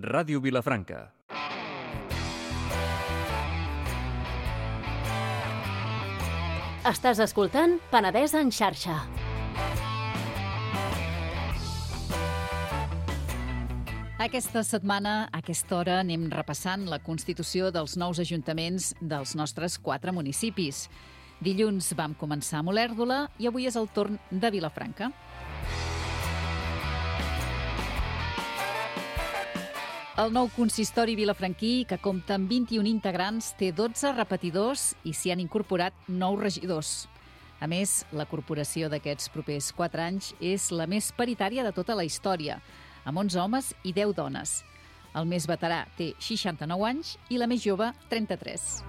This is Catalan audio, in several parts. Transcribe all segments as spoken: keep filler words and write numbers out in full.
Ràdio Vilafranca. Estàs escoltant Penedès en xarxa. Aquesta setmana, a aquesta hora, anem repassant la constitució dels nous ajuntaments dels nostres quatre municipis. Dilluns vam començar a Olèrdola i avui és el torn de Vilafranca. El nou consistori vilafranquí, que compta amb vint-i-un integrants, té dotze repetidors i s'hi han incorporat nou regidors. A més, la corporació d'aquests propers quatre anys és la més paritària de tota la història, amb onze homes i deu dones. El més veterà té seixanta-nou anys i la més jove, trenta-tres.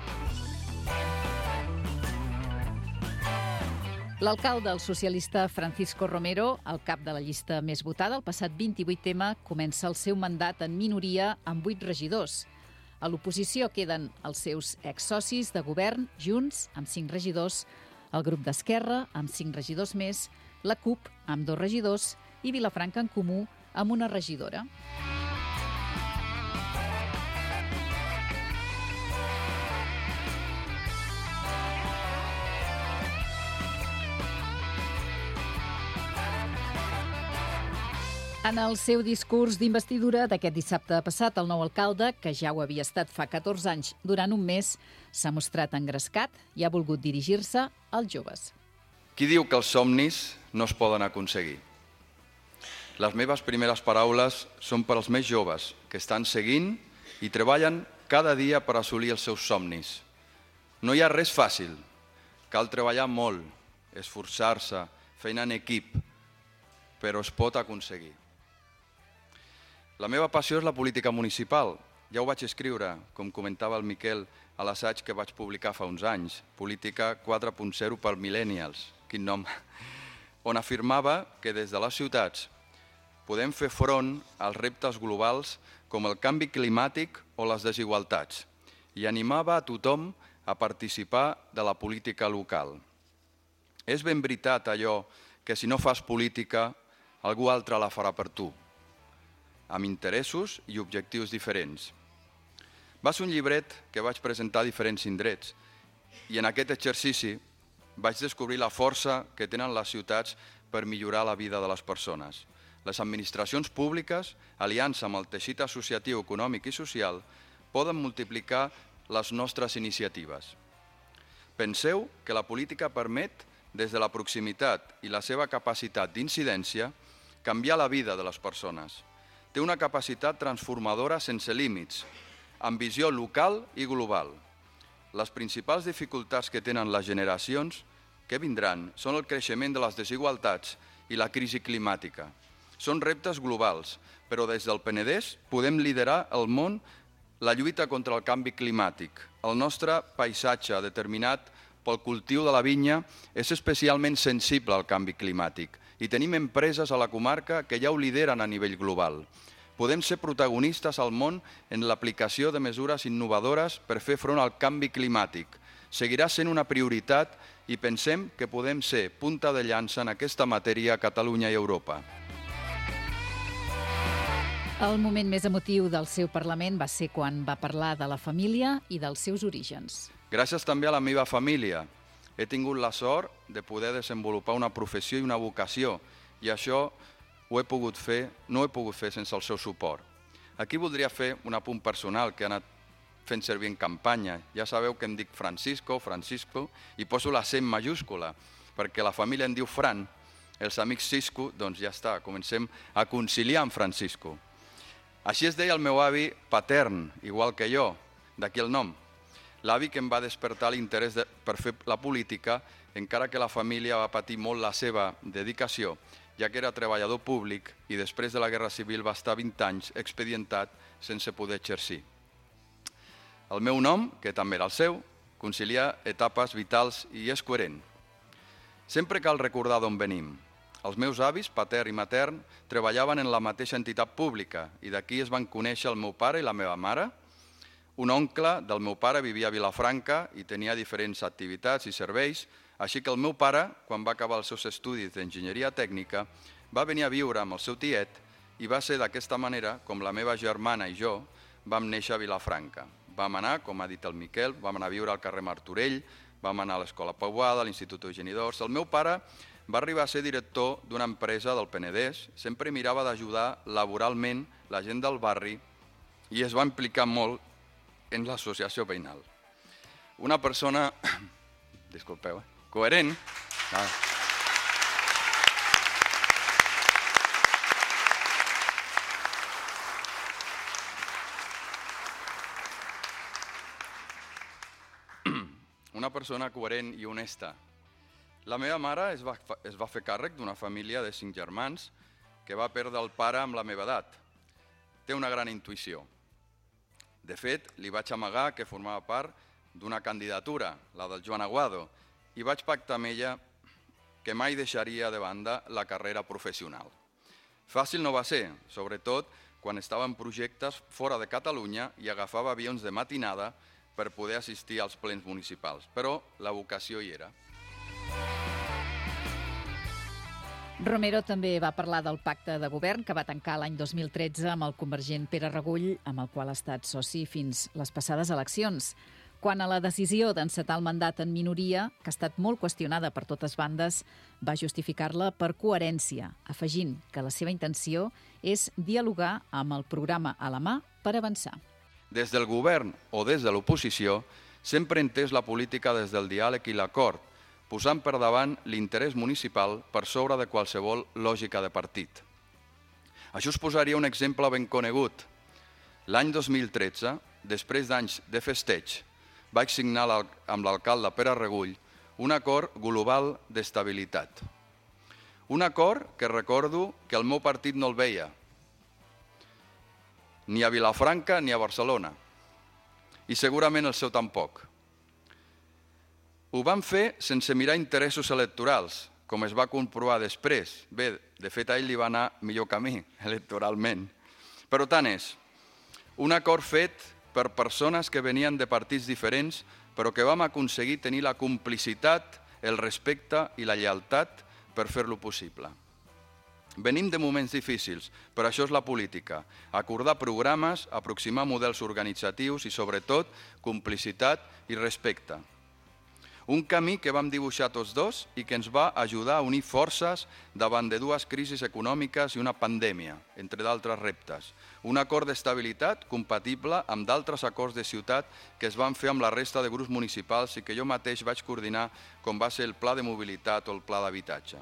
L'alcalde, el socialista Francisco Romero, el cap de la llista més votada, el passat vint-i-vuit eme, comença el seu mandat en minoria amb vuit regidors. A l'oposició queden els seus exsocis de govern, Junts, amb cinc regidors, el grup d'Esquerra, amb cinc regidors més, la CUP, amb dos regidors, i Vilafranca en Comú, amb una regidora. En el seu discurs d'investidura d'aquest dissabte passat, el nou alcalde, que ja ho havia estat fa catorze anys durant un mes, s'ha mostrat engrescat i ha volgut dirigir-se als joves. Qui diu que els somnis no es poden aconseguir? Les meves primeres paraules són per als més joves, que estan seguint i treballen cada dia per assolir els seus somnis. No hi ha res fàcil. Cal treballar molt, esforçar-se, feina en equip, però es pot aconseguir. La meva passió és la política municipal. Ja ho vaig escriure, com comentava el Miquel, a l'assaig que vaig publicar fa uns anys, Política quatre punt zero per Millennials, quin nom, on afirmava que des de les ciutats podem fer front als reptes globals com el canvi climàtic o les desigualtats i animava a tothom a participar de la política local. És ben veritat allò que si no fas política, algú altre la farà per tu, amb interessos i objectius diferents. Va ser un llibret que vaig presentar a diferents indrets i en aquest exercici vaig descobrir la força que tenen les ciutats per millorar la vida de les persones. Les administracions públiques, aliança amb el teixit associatiu, econòmic i social, poden multiplicar les nostres iniciatives. Penseu que la política permet, des de la proximitat i la seva capacitat d'incidència, canviar la vida de les persones. Té una capacitat transformadora sense límits, amb visió local i global. Les principals dificultats que tenen les generacions que vindran són el creixement de les desigualtats i la crisi climàtica. Són reptes globals, però des del Penedès podem liderar el món la lluita contra el canvi climàtic. El nostre paisatge, determinat pel cultiu de la vinya, és especialment sensible al canvi climàtic i tenim empreses a la comarca que ja ho lideren a nivell global. Podem ser protagonistes al món en l'aplicació de mesures innovadores per fer front al canvi climàtic. Seguirà sent una prioritat i pensem que podem ser punta de llança en aquesta matèria a Catalunya i Europa. El moment més emotiu del seu Parlament va ser quan va parlar de la família i dels seus orígens. Gràcies també a la meva família. He tingut la sort de poder desenvolupar una professió i una vocació i això ho he pogut fer, no ho he pogut fer sense el seu suport. Aquí voldria fer un apunt personal que he anat fent servir en campanya. Ja sabeu que em dic Francisco, Francisco, i poso la C en majúscula, perquè la família em diu Fran, els amics Cisco, doncs ja està, comencem a conciliar amb Francisco. Així es deia el meu avi patern, igual que jo, d'aquí el nom. L'avi que em va despertar l'interès de, per fer la política, encara que la família va patir molt la seva dedicació, ja que era treballador públic i després de la Guerra Civil va estar vint anys expedientat sense poder exercir. El meu nom, que també era el seu, concilia etapes vitals i és coherent. Sempre cal recordar d'on venim. Els meus avis, patern i matern, treballaven en la mateixa entitat pública i d'aquí es van conèixer el meu pare i la meva mare. Un oncle del meu pare vivia a Vilafranca i tenia diferents activitats i serveis, així que el meu pare, quan va acabar els seus estudis d'enginyeria tècnica, va venir a viure amb el seu tiet i va ser d'aquesta manera com la meva germana i jo vam néixer a Vilafranca. Vam anar, com ha dit el Miquel, vam anar a viure al carrer Martorell, vam anar a l'Escola Pauada, a l'Institut Eugeni d'Ors. El meu pare va arribar a ser director d'una empresa del Penedès, sempre mirava d'ajudar laboralment la gent del barri i es va implicar molt en l'associació veïnal. Una persona, disculpeu, eh? coherent, ah. una persona coherent i honesta. La meva mare es va, es va fer càrrec d'una família de cinc germans que va perdre el pare amb la meva edat. Té una gran intuïció. De fet, li vaig amagar que formava part d'una candidatura, la del Joan Aguado, i vaig pactar amb ella que mai deixaria de banda la carrera professional. Fàcil no va ser, sobretot quan estava en projectes fora de Catalunya i agafava avions de matinada per poder assistir als plens municipals, però la vocació hi era. Romero també va parlar del pacte de govern que va tancar l'any dos mil tretze amb el convergent Pere Regull, amb el qual ha estat soci fins les passades eleccions. Quant a la decisió d'encetar el mandat en minoria, que ha estat molt qüestionada per totes bandes, va justificar-la per coherència, afegint que la seva intenció és dialogar amb el programa a la mà per avançar. Des del govern o des de l'oposició, sempre he entès la política des del diàleg i l'acord, posant per davant l'interès municipal per sobre de qualsevol lògica de partit. Això us posaria un exemple ben conegut. L'any dos mil tretze, després d'anys de festeig, vaig signar amb l'alcalde Pere Regull un acord global d'estabilitat. Un acord que recordo que el meu partit no el veia, ni a Vilafranca ni a Barcelona, i segurament el seu tampoc. Ho vam fer sense mirar interessos electorals, com es va comprovar després. Bé, de fet, a ell li va anar millor camí electoralment. Però tant és, un acord fet per persones que venien de partits diferents, però que vam aconseguir tenir la complicitat, el respecte i la lleialtat per fer-lo possible. Venim de moments difícils, però això és la política. Acordar programes, aproximar models organitzatius i, sobretot, complicitat i respecte. Un camí que vam dibuixar tots dos i que ens va ajudar a unir forces davant de dues crisis econòmiques i una pandèmia, entre d'altres reptes. Un acord d'estabilitat compatible amb d'altres acords de ciutat que es van fer amb la resta de grups municipals i que jo mateix vaig coordinar, com va ser el Pla de Mobilitat o el Pla d'Habitatge.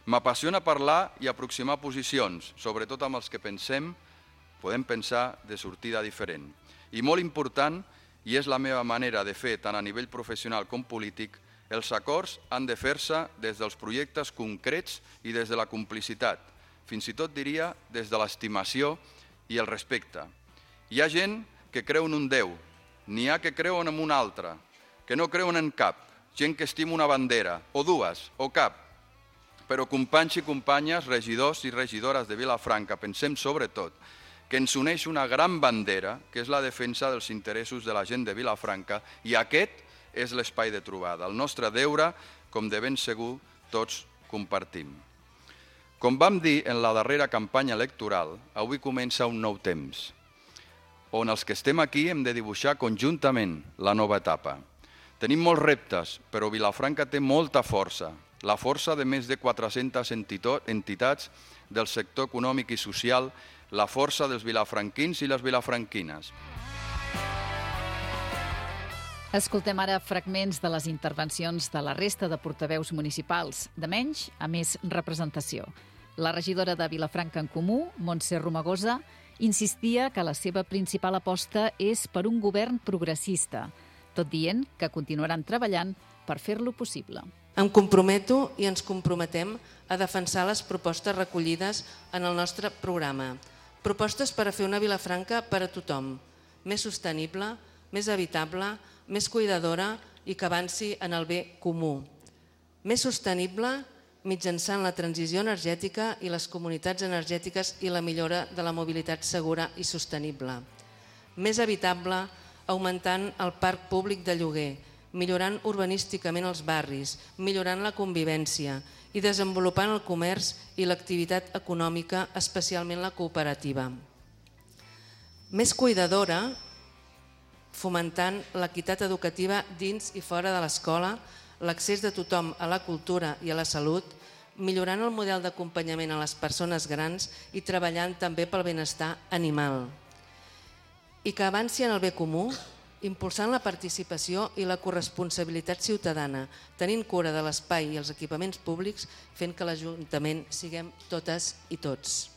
M'apassiona parlar i aproximar posicions, sobretot amb els que pensem, podem pensar de sortida diferent. I molt important, i és la meva manera de fer tant a nivell professional com polític, els acords han de fer-se des dels projectes concrets i des de la complicitat, fins i tot diria des de l'estimació i el respecte. Hi ha gent que creu en un Déu, n'hi ha que creuen en un altre, que no creuen en cap, gent que estima una bandera, o dues, o cap. Però companys i companyes, regidors i regidores de Vilafranca, pensem sobretot que ens uneix una gran bandera, que és la defensa dels interessos de la gent de Vilafranca, i aquest és l'espai de trobada, el nostre deure, com de ben segur tots compartim. Com vam dir en la darrera campanya electoral, avui comença un nou temps, on els que estem aquí hem de dibuixar conjuntament la nova etapa. Tenim molts reptes, però Vilafranca té molta força, la força de més de quatre-centes entitats del sector econòmic i social, la força dels vilafranquins i les vilafranquines. Escoltem ara fragments de les intervencions de la resta de portaveus municipals, de menys a més representació. La regidora de Vilafranca en Comú, Montse Romagosa, insistia que la seva principal aposta és per un govern progressista, tot dient que continuaran treballant per fer-lo possible. Em comprometo i ens comprometem a defensar les propostes recollides en el nostre programa. Propostes per a fer una Vilafranca per a tothom, més sostenible, més habitable, més cuidadora i que avanci en el bé comú. Més sostenible mitjançant la transició energètica i les comunitats energètiques i la millora de la mobilitat segura i sostenible. Més habitable augmentant el parc públic de lloguer, millorant urbanísticament els barris, millorant la convivència i desenvolupant el comerç i l'activitat econòmica, especialment la cooperativa. Més cuidadora, fomentant l'equitat educativa dins i fora de l'escola, l'accés de tothom a la cultura i a la salut, millorant el model d'acompanyament a les persones grans i treballant també pel benestar animal. I que avanci en el bé comú, impulsant la participació i la corresponsabilitat ciutadana, tenint cura de l'espai i els equipaments públics, fent que l'Ajuntament siguem totes i tots.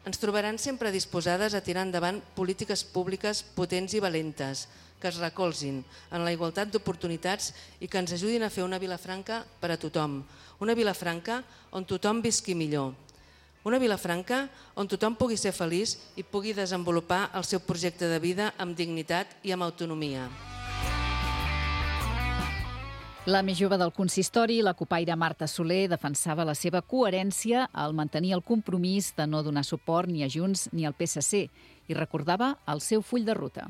Ens trobaran sempre disposades a tirar endavant polítiques públiques potents i valentes, que es recolzin en la igualtat d'oportunitats i que ens ajudin a fer una Vilafranca per a tothom, una Vilafranca on tothom visqui millor, una Vilafranca on tothom pugui ser feliç i pugui desenvolupar el seu projecte de vida amb dignitat i amb autonomia. La més jove del consistori, la copaire Marta Soler, defensava la seva coherència al mantenir el compromís de no donar suport ni a Junts ni al P S C i recordava el seu full de ruta.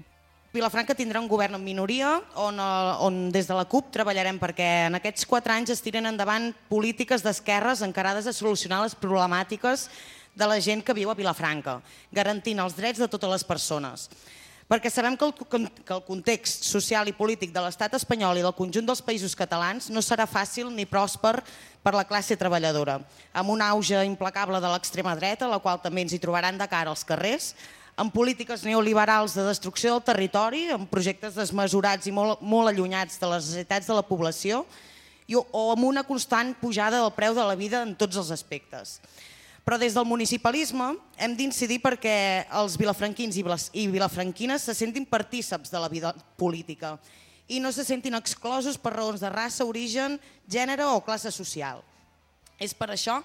Vilafranca tindrà un govern en minoria on, on des de la CUP treballarem perquè en aquests quatre anys es tiren endavant polítiques d'esquerres encarades a solucionar les problemàtiques de la gent que viu a Vilafranca, garantint els drets de totes les persones. Perquè sabem que el, que el context social i polític de l'estat espanyol i del conjunt dels països catalans no serà fàcil ni pròsper per la classe treballadora, amb un auge implacable de l'extrema dreta, la qual també ens hi trobaran de cara als carrers, amb polítiques neoliberals de destrucció del territori, amb projectes desmesurats i molt, molt allunyats de les necessitats de la població, i, o amb una constant pujada del preu de la vida en tots els aspectes. Però des del municipalisme hem d'incidir perquè els vilafranquins i vilafranquines se sentin partíceps de la vida política i no se sentin exclosos per raons de raça, origen, gènere o classe social. És per això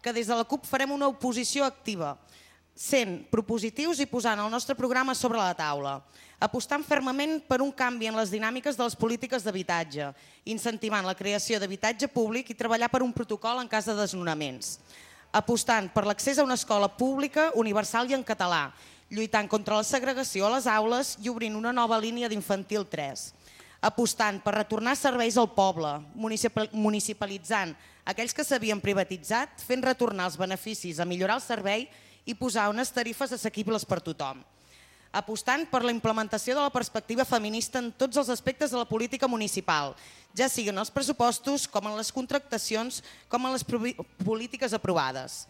que des de la CUP farem una oposició activa, sent propositius i posant el nostre programa sobre la taula, apostant fermament per un canvi en les dinàmiques de les polítiques d'habitatge, incentivant la creació d'habitatge públic i treballar per un protocol en cas de desnonaments, apostant per l'accés a una escola pública, universal i en català, lluitant contra la segregació a les aules i obrint una nova línia d'infantil tres, apostant per retornar serveis al poble, municipalitzant aquells que s'havien privatitzat, fent retornar els beneficis a millorar el servei i posar unes tarifes assequibles per tothom. Apostant per la implementació de la perspectiva feminista en tots els aspectes de la política municipal, ja siguin els pressupostos, com en les contractacions, com en les polítiques aprovades.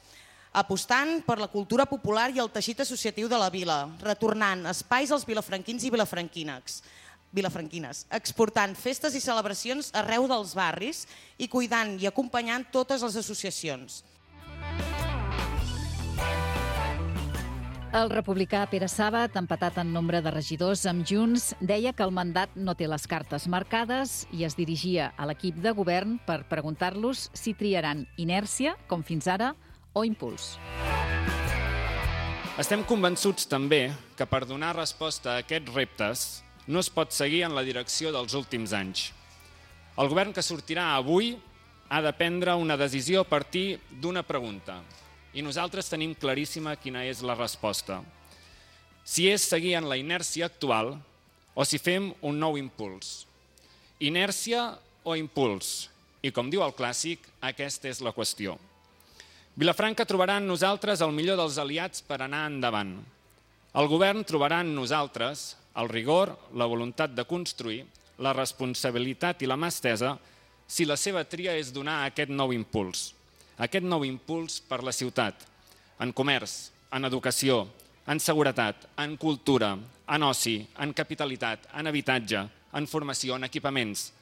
Apostant per la cultura popular i el teixit associatiu de la vila, retornant espais als vilafranquins i vilafranquines, vilafranquines, exportant festes i celebracions arreu dels barris i cuidant i acompanyant totes les associacions. El republicà Pere Sàbat, empatat en nombre de regidors amb Junts, deia que el mandat no té les cartes marcades i es dirigia a l'equip de govern per preguntar-los si triaran inèrcia, com fins ara, o impuls. Estem convençuts també que per donar resposta a aquests reptes no es pot seguir en la direcció dels últims anys. El govern que sortirà avui ha de prendre una decisió a partir d'una pregunta. I nosaltres tenim claríssima quina és la resposta. Si és seguir en la inèrcia actual o si fem un nou impuls. Inèrcia o impuls? I com diu el clàssic, aquesta és la qüestió. Vilafranca trobarà en nosaltres el millor dels aliats per anar endavant. El govern trobarà en nosaltres el rigor, la voluntat de construir, la responsabilitat i la mà estesa si la seva tria és donar aquest nou impuls. Aquest nou impuls per la ciutat, en comerç, en educació, en seguretat, en cultura, en oci, en capitalitat, en habitatge, en formació, en equipaments.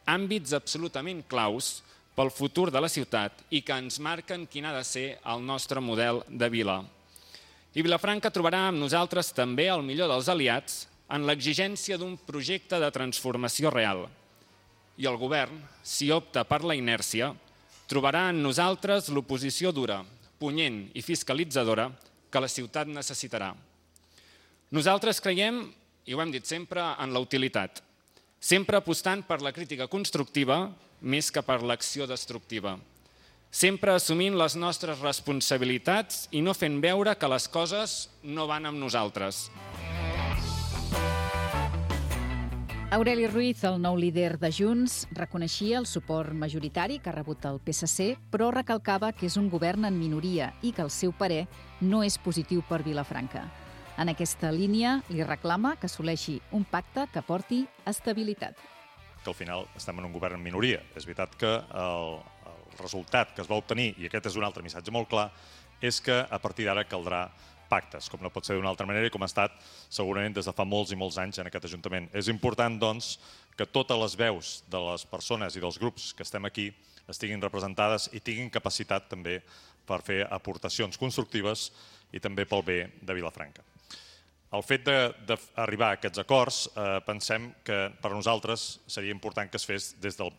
Àmbits absolutament claus pel futur de la ciutat i que ens marquen quin ha de ser el nostre model de vila. I Vilafranca trobarà amb nosaltres també el millor dels aliats en l'exigència d'un projecte de transformació real. I el govern, si opta per la inèrcia, trobarà en nosaltres l'oposició dura, punyent i fiscalitzadora que la ciutat necessitarà. Nosaltres creiem, i ho hem dit sempre, en la utilitat, sempre apostant per la crítica constructiva més que per l'acció destructiva, sempre assumint les nostres responsabilitats i no fent veure que les coses no van amb nosaltres. Aureli Ruiz, el nou líder de Junts, reconeixia el suport majoritari que ha rebut el P S C, però recalcava que és un govern en minoria i que el seu parer no és positiu per Vilafranca. En aquesta línia li reclama que assoleixi un pacte que porti estabilitat. Que al final estem en un govern en minoria. És veritat que el, el resultat que es va obtenir, i aquest és un altre missatge molt clar, és que a partir d'ara caldrà pactes, com no pot ser d'una altra manera i com ha estat segurament des de fa molts i molts anys en aquest Ajuntament. És important, doncs, que totes les veus de les persones i dels grups que estem aquí estiguin representades i tinguin capacitat també per fer aportacions constructives i també pel bé de Vilafranca. El fet d'arribar a aquests acords, eh, pensem que per a nosaltres seria important que es fes des del,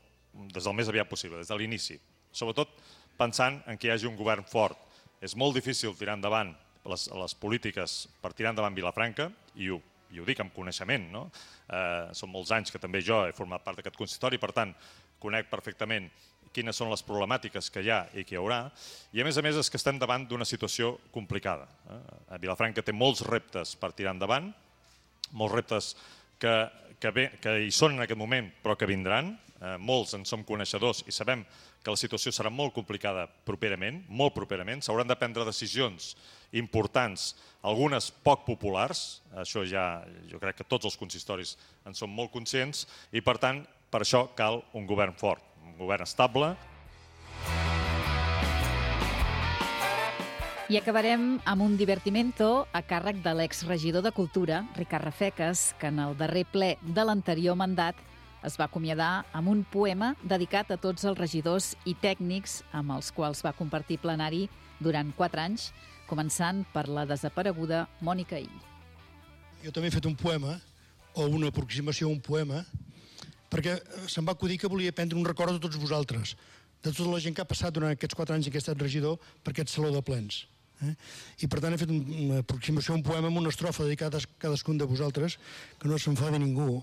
des del més aviat possible, des de l'inici. Sobretot pensant en que hi hagi un govern fort. És molt difícil tirar endavant les, les polítiques per tirar endavant Vilafranca, i ho, i ho dic amb coneixement, no? Eh, són molts anys que també jo he format part d'aquest consistori, per tant, conec perfectament quines són les problemàtiques que hi ha i que hi haurà, i a més a més és que estem davant d'una situació complicada. Eh? Vilafranca té molts reptes per tirar endavant, molts reptes que, que, bé, que hi són en aquest moment però que vindran, eh, molts en som coneixedors i sabem que la situació serà molt complicada properament, molt properament, s'hauran de prendre decisions importants, algunes poc populars, això ja jo crec que tots els consistoris en són molt conscients, i per tant per això cal un govern fort, un govern estable. I acabarem amb un divertimento a càrrec de l'exregidor de Cultura, Ricard Rafecas, que en el darrer ple de l'anterior mandat es va acomiadar amb un poema dedicat a tots els regidors i tècnics amb els quals va compartir plenari durant quatre anys, començant per la desapareguda Mònica Ill. Jo també he fet un poema, o una aproximació a un poema, perquè se'm va acudir que volia prendre un record de tots vosaltres, de tota la gent que ha passat durant aquests quatre anys que he estat regidor per aquest saló de plens. Eh? I per tant he fet una aproximació a un poema amb una estrofa dedicada a cadascun de vosaltres, que no s'enfadi ningú,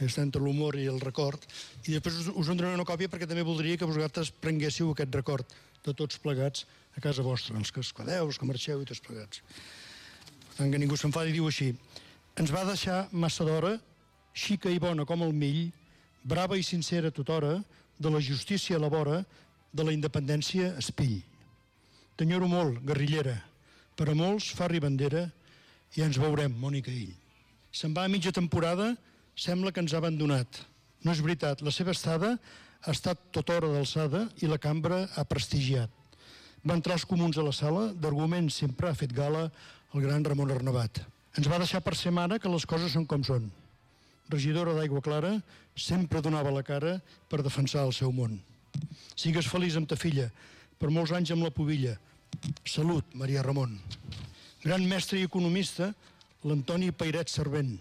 està entre l'humor i el record, i després us, us en donaré una còpia perquè també voldria que vosaltres prenguéssiu aquest record de tots plegats a casa vostra, els que es quedeu, els que marxeu i tots plegats. Per tant, que ningú s'enfadi, diu així: ens va deixar massa d'hora, xica i bona com el mill, brava i sincera tothora, de la justícia a la vora, de la independència espill. T'enyoro molt, guerrillera, per a molts fa ribandera, i ens veurem, Mònica Ill. Se'n va a mitja temporada, sembla que ens ha abandonat. No és veritat, la seva estada ha estat tota hora d'alçada i la cambra ha prestigiat. Va entrar els comuns a la sala, d'arguments sempre ha fet gala el gran Ramon Arnabat. Ens va deixar per ser mare que les coses són com són. Regidora d'Aigua Clara, sempre donava la cara per defensar el seu món. Sigues feliç amb ta filla, per molts anys amb la pubilla. Salut, Maria Ramon. Gran mestre i economista, l'Antoni Pairet Servent.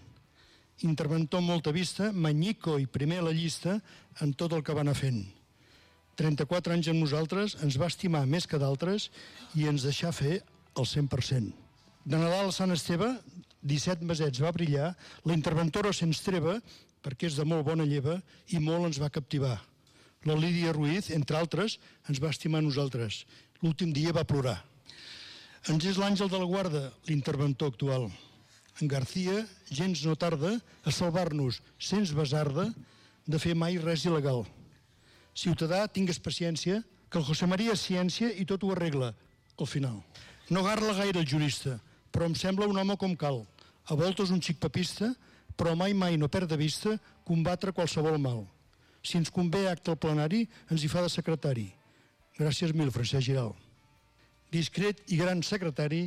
Interventor amb molta vista, manyico i primer a la llista en tot el que va anar fent. trenta-quatre anys amb nosaltres, ens va estimar més que d'altres i ens deixà fer el cent per cent. De Nadal a Sant Esteve, disset mesets va brillar, la interventora se'ns treva, perquè és de molt bona lleva, i molt ens va captivar. La Lídia Ruiz, entre altres, ens va estimar a nosaltres. L'últim dia va plorar. Ens és l'Àngel de la Guarda, l'interventor actual. En García gens no tarda a salvar-nos, sens basarda, de fer mai res il·legal. Ciutadà, tingues paciència, que el José María és ciència i tot ho arregla, al final. No garla gaire el jurista, però em sembla un home com cal. A voltes un xic papista, però mai mai no perd de vista combatre qualsevol mal. Si ens convé acte al plenari, ens hi fa de secretari. Gràcies mil, Francesc Giral. Discret i gran secretari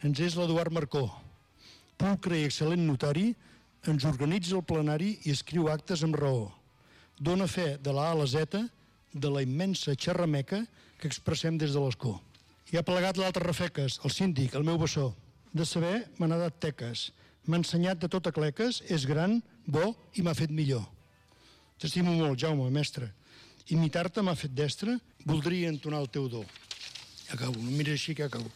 ens és l'Eduard Marcó. Pulcre i excel·lent notari, ens organitza el plenari i escriu actes amb raó. Dóna fe de la A a la Z de la immensa xerrameca que expressem des de l'escó. I ha plegat l'altre Rafecas, el síndic, el meu bessó. De saber m'ha nadat teques, m'ha ensenyat de tot a cleques, és gran, bo i m'ha fet millor. T'estimo molt, Jaume, mestre. Imitar-te m'ha fet destre, voldria entonar el teu do. Ja acabo, no mires així que acabo.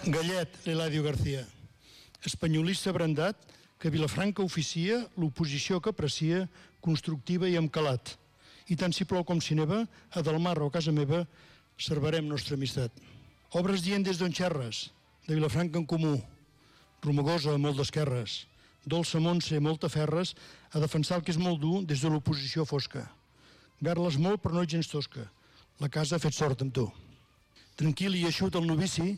Gallet, l'Eladio García. Espanyolista brandat, que Vilafranca oficia l'oposició que aprecia, constructiva i amb calat. I tant si plou com si neva, a Delmar o a casa meva, servarem nostra amistat. Obres dient des d'on xerres, de Vilafranca en Comú, Romagosa, molt d'esquerres, Dolça Montse Moltaferres, a defensar el que és molt dur des de l'oposició fosca. Garles molt, però no gens tosca. La casa ha fet sort amb tu. Tranquil i eixut el novici,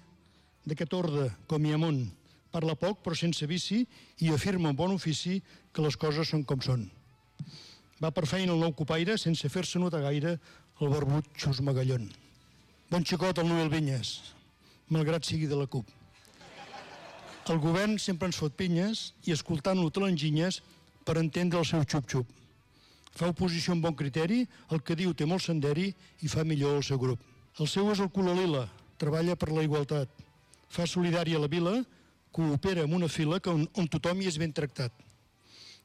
d'aquest orde, com hi ha món, parla poc però sense vici i afirma amb bon ofici que les coses són com són. Va per feina el nou copaire sense fer-se notar gaire el barbut Xus Magallón. Bon xicot el Noel Vinyes, malgrat sigui de la CUP. El govern sempre ens fot pinyes i escoltant-lo te l'enginyes per entendre el seu xup-xup. Fa oposició amb bon criteri, el que diu té molt senderi i fa millor el seu grup. El seu és el color lila, treballa per la igualtat. Fa solidària la vila, coopera amb una fila on, on tothom hi és ben tractat.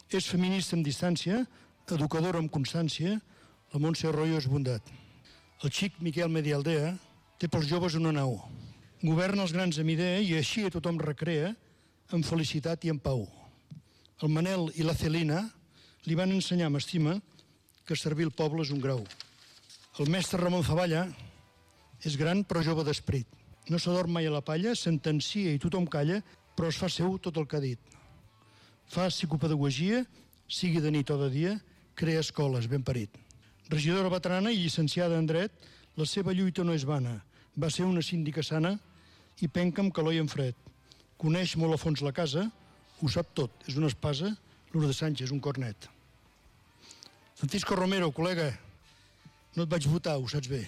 És feminista amb distància, educadora amb constància, la Montse Arroyo és bondat. El xic Miquel Medialdea té pels joves una nau. Governa els grans amb idea i així a tothom recrea amb felicitat i en pau. El Manel i la Celina li van ensenyar amb estima que servir el poble és un grau. El mestre Ramon Zavalla és gran però jove d'esperit. No s'adorm mai a la palla, sentencia i tothom calla, però es fa seu tot el que ha dit. Fa psicopedagogia, sigui de nit o de dia, crea escoles, ben parit. Regidora veterana i llicenciada en dret, la seva lluita no és vana. Va ser una síndica sana i penca amb calor i en fred. Coneix molt a fons la casa, ho sap tot, és una espasa, Lourdes Sánchez, un cornet. Francisco Romero, col·lega, no et vaig votar, ho saps bé.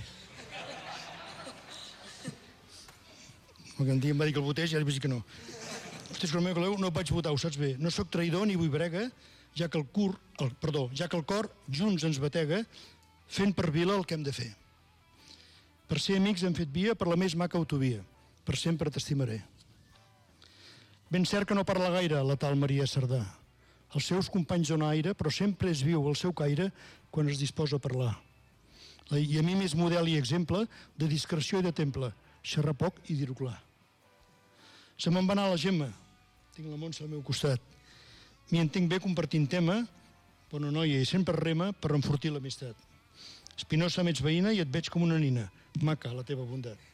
Un dia em va dir que el votés i ara vaig dir que no. Francisco Romero, col·lega, no et vaig votar, ho saps bé. No sóc traïdor ni vull brega, ja que el cur, el, perdó, ja que el cor junts ens batega, fent per vila el que hem de fer. Per ser amics hem fet via per la més maca autovia. Per sempre t'estimaré. Ben cert que no parla gaire la tal Maria Cerdà. Els seus companys dona aire, però sempre és viu el seu caire quan es disposa a parlar. I a mi m'és model i exemple de discreció i de temple, xerrar poc i dir-ho clar. Se me'n va anar la Gemma, tinc la Montse al meu costat. M'hi entenc bé compartint tema, bona noia i sempre rema per enfortir l'amistat. Espinosa m'ets veïna i et veig com una nina, maca la teva bondat.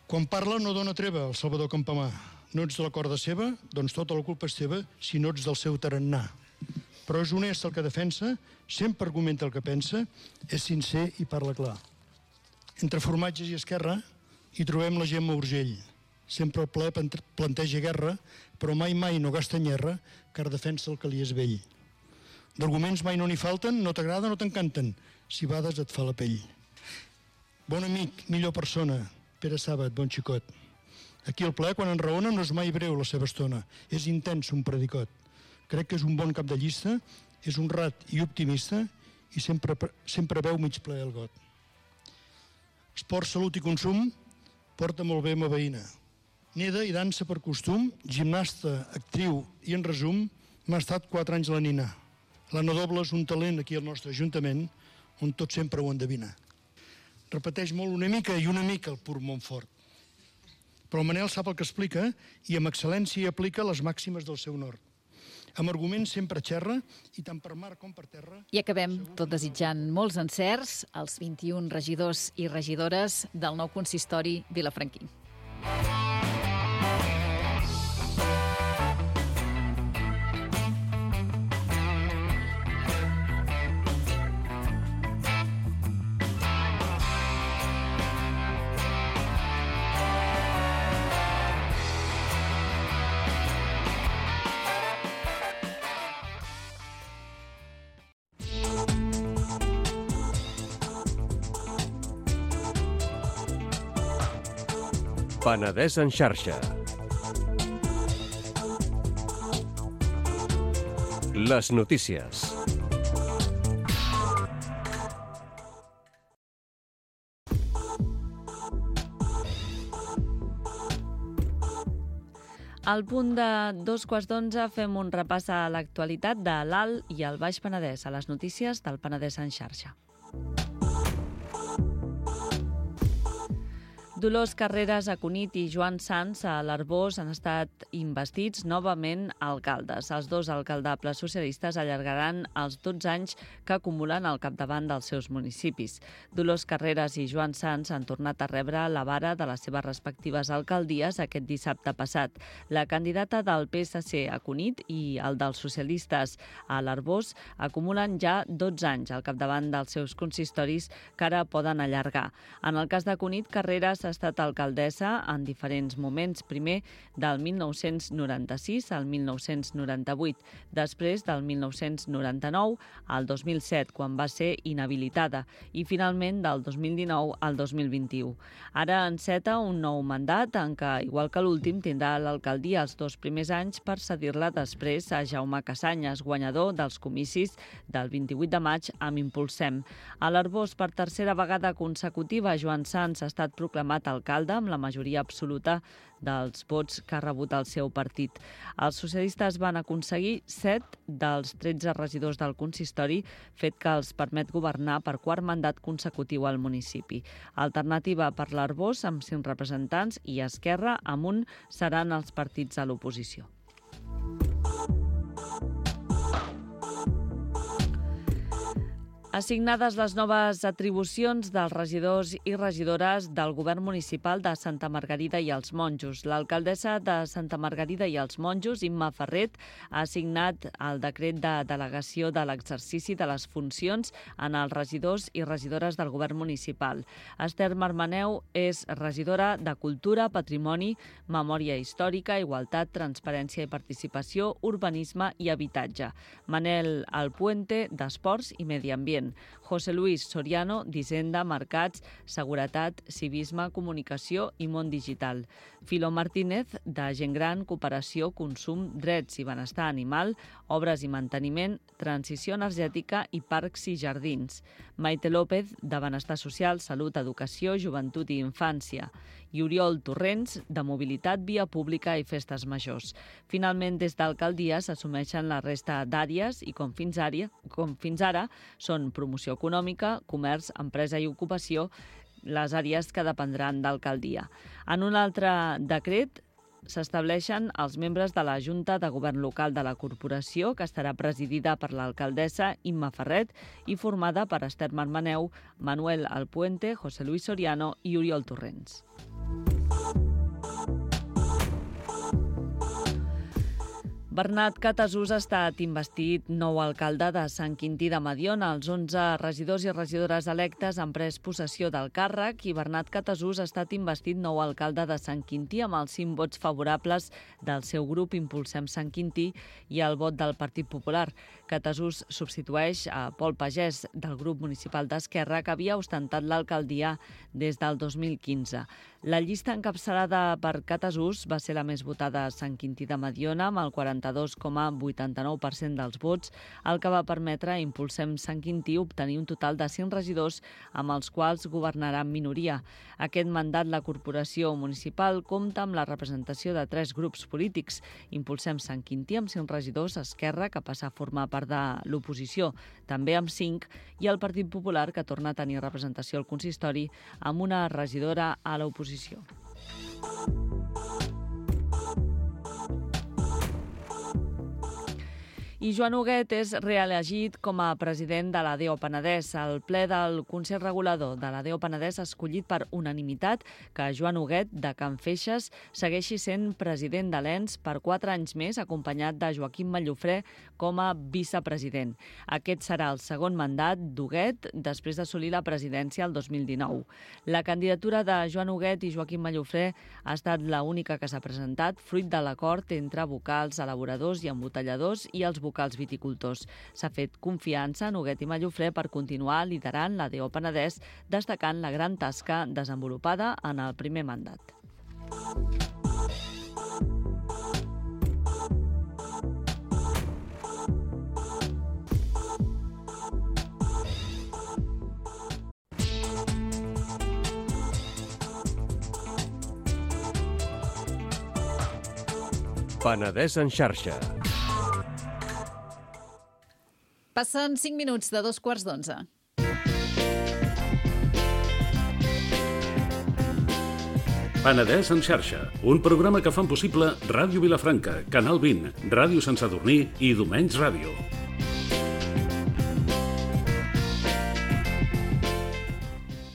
Quan parla no dona treva el Salvador Campamà. No ets de la corda seva, doncs tota la culpa és teva si no ets del seu tarannà. Però és honest el que defensa, sempre argumenta el que pensa, és sincer i parla clar. Entre formatges i esquerra hi trobem la Gemma Urgell. Sempre el ple planteja guerra, però mai mai no gasta nyerra, car defensa el que li és vell. D'arguments mai no n'hi falten, no t'agrada, no t'encanten, si bades et fa la pell. Bon amic, millor persona, Pere Sàbat, bon xicot. Aquí al ple, quan enraona, no és mai breu la seva estona, és intens un predicot. Crec que és un bon cap de llista, és honrat i optimista i sempre, sempre veu mig ple el got. Esport, salut i consum, porta molt bé ma veïna. Neda i dansa per costum, gimnasta, actriu i, en resum, m'ha estat quatre anys la nina. L'Anna Doble és un talent aquí al nostre ajuntament, on tot sempre ho endevina. Repeteix molt una mica i una mica el pur Montfort. Però el Manel sap el que explica i amb excel·lència aplica les màximes del seu nord. Amb arguments sempre xerra i tant per mar com per terra... I acabem tot desitjant molts encerts als vint-i-un regidors i regidores del nou consistori vilafranquí. Penedès en xarxa. Les notícies. Al punt de dos quarts d'onze fem un repàs a l'actualitat de l'Alt i el Baix Penedès, a les notícies del Penedès en xarxa. Dolors Carreras a Cunit i Joan Sans a l'Arboç han estat investits novament alcaldes. Els dos alcaldables socialistes allargaran els dotze anys que acumulen al capdavant dels seus municipis. Dolors Carreras i Joan Sans han tornat a rebre la vara de les seves respectives alcaldies aquest dissabte passat. La candidata del P S C a Cunit i el dels socialistes a l'Arboç acumulen ja dotze anys al capdavant dels seus consistoris que ara poden allargar. En el cas de Cunit, Carreras ha estat alcaldessa en diferents moments, primer del mil nou-cents noranta-sis al mil nou-cents noranta-vuit, després del mil nou-cents noranta-nou al dos mil set, quan va ser inhabilitada, i finalment del dos mil dinou al dos mil vint-i-u. Ara enceta un nou mandat en què, igual que l'últim, tindrà l'alcaldia els dos primers anys per cedir-la després a Jaume Cassanyes, guanyador dels comicis del vint-i-vuit de maig amb Impulsem. A l'Arboç, per tercera vegada consecutiva, Joan Sans ha estat proclamat alcalde amb la majoria absoluta dels vots que ha rebut el seu partit. Els socialistes van aconseguir set dels tretze regidors del consistori, fet que els permet governar per quart mandat consecutiu al municipi. Alternativa per l'Arboç, amb cinc representants, i Esquerra, amb un, seran els partits a l'oposició. Assignades les noves atribucions dels regidors i regidores del govern municipal de Santa Margarida i els Monjos. L'alcaldessa de Santa Margarida i els Monjos, Imma Ferret, ha assignat el decret de delegació de l'exercici de les funcions en els regidors i regidores del govern municipal. Esther Marmaneu és regidora de Cultura, Patrimoni, Memòria Històrica, Igualtat, Transparència i Participació, Urbanisme i Habitatge. Manel Alpuente, d'Esports i Medi Ambient. José Luis Soriano, d'Hisenda, Mercats, Seguretat, Civisme, Comunicació i Món Digital. Filo Martínez, de Gent Gran, Cooperació, Consum, Drets i Benestar Animal, Obres i Manteniment, Transició Energètica i Parcs i Jardins. Maite López, de Benestar Social, Salut, Educació, Joventut i Infància. I Oriol Torrents, de Mobilitat, Via Pública i Festes Majors. Finalment, des d'alcaldia s'assumeixen la resta d'àrees i, com fins ara, com fins ara, són promoció econòmica, comerç, empresa i ocupació, les àrees que dependran d'alcaldia. En un altre decret s'estableixen els membres de la Junta de Govern Local de la Corporació, que estarà presidida per l'alcaldessa Imma Ferret i formada per Esther Marmaneu, Manuel Alpuente, José Luis Soriano i Oriol Torrents. Bernat Catasús ha estat investit nou alcalde de Sant Quintí de Mediona. Els onze regidors i regidores electes han pres possessió del càrrec i Bernat Catasús ha estat investit nou alcalde de Sant Quintí amb els cinc vots favorables del seu grup Impulsem Sant Quintí i el vot del Partit Popular. Catasús substitueix a Pol Pagès, del grup municipal d'Esquerra, que havia ostentat l'alcaldia des del dos mil quinze. La llista encapçalada per Catasús va ser la més votada a Sant Quintí de Mediona, amb el quaranta-dos coma vuitanta-nou per cent dels vots, el que va permetre a Impulsem Sant Quintí obtenir un total de cinc regidors amb els quals governarà en minoria. Aquest mandat, la corporació municipal compta amb la representació de tres grups polítics. Impulsem Sant Quintí amb cinc regidors, Esquerra, que passa a formar part de l'oposició, també amb cinc, i el Partit Popular, que torna a tenir representació al consistori amb una regidora a l'oposició. I Joan Huguet és reelegit com a president de l'A D O Penedès. El ple del Consell Regulador de l'A D O Penedès ha escollit per unanimitat que Joan Huguet, de Can Feixes, segueixi sent president de l'E N S per quatre anys més, acompanyat de Joaquim Mallofré com a vicepresident. Aquest serà el segon mandat d'Huguet després d'assolir la presidència el dos mil dinou. La candidatura de Joan Huguet i Joaquim Mallofré ha estat l'única que s'ha presentat, fruit de l'acord entre vocals, elaboradors i embotelladors i els vocals viticultors. S'ha fet confiança en Huguet i Mallofré per continuar liderant l'A D O Penedès, destacant la gran tasca desenvolupada en el primer mandat. Penedès en xarxa. Passen cinc minuts de dos quarts d'onze. Penedès en xarxa, un programa que fan possible Ràdio Vilafranca, Canal vint, Ràdio Sant Sadurní i Domenys Ràdio.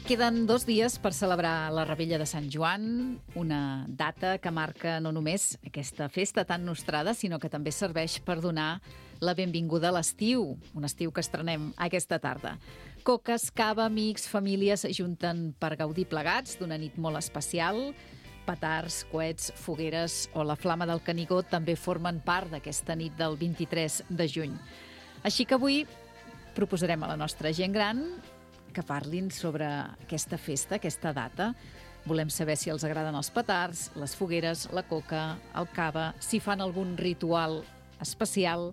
Queden dos dies per celebrar la Revetlla de Sant Joan, una data que marca no només aquesta festa tan nostrada, sinó que també serveix per donar la benvinguda a l'estiu, un estiu que estrenem aquesta tarda. Coques, cava, amics, famílies s'ajunten per gaudir plegats d'una nit molt especial. Petards, coets, fogueres o la flama del Canigó també formen part d'aquesta nit del vint-i-tres de juny. Així que avui proposarem a la nostra gent gran que parlin sobre aquesta festa, aquesta data. Volem saber si els agraden els petards, les fogueres, la coca, el cava, si fan algun ritual especial.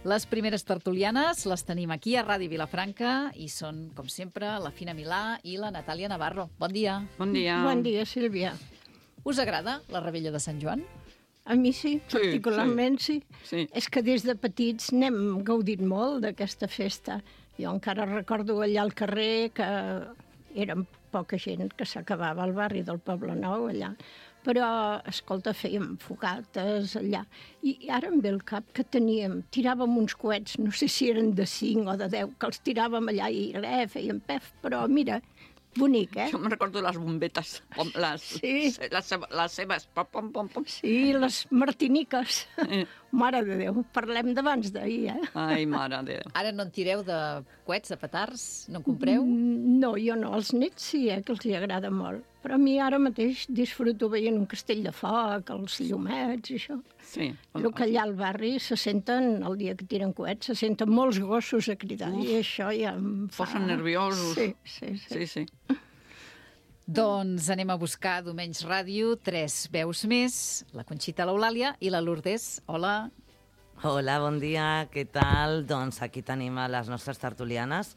Les primeres tertulianes les tenim aquí a Ràdio Vilafranca i són, com sempre, la Fina Milà i la Natàlia Navarro. Bon dia. Bon dia. Bon dia, Sílvia. Us agrada la Revetlla de Sant Joan? A mi sí, Sí, particularment sí. Sí. És que des de petits n'hem gaudit molt d'aquesta festa. Jo encara recordo allà al carrer que érem poca gent, que s'acabava al barri del Poble Nou allà. Però, escolta, fèiem fogates allà. I ara em ve el cap que teníem, tiràvem uns coets, no sé si eren de cinc o de deu, que els tiràvem allà i res, fèiem pef, però mira, bonic, eh? Jo me'n recordo les bombetes, pom, les, Sí. les, les seves, pom, pom, pom, pom. Sí, les martiniques. Eh. Mare de Déu, parlem d'abans d'ahir, eh? Ai, mare de Déu. Ara no en tireu de coets, de petards? No en compreu? No, jo no. Els nets sí, eh, que els hi agrada molt. Però a mi ara mateix disfruto veient un castell de foc, els llumets i això. Sí. El que allà al barri se senten, el dia que tiren coets, se senten molts gossos a cridar. Uf. I això ja em fa... Posen nerviosos. Sí, sí, sí. Sí, sí. Doncs anem a buscar a Domenys Ràdio tres veus més, la Conxita, l'Eulàlia i la Lourdes. Hola. Hola, bon dia, què tal? Doncs aquí tenim a les nostres tertulianes.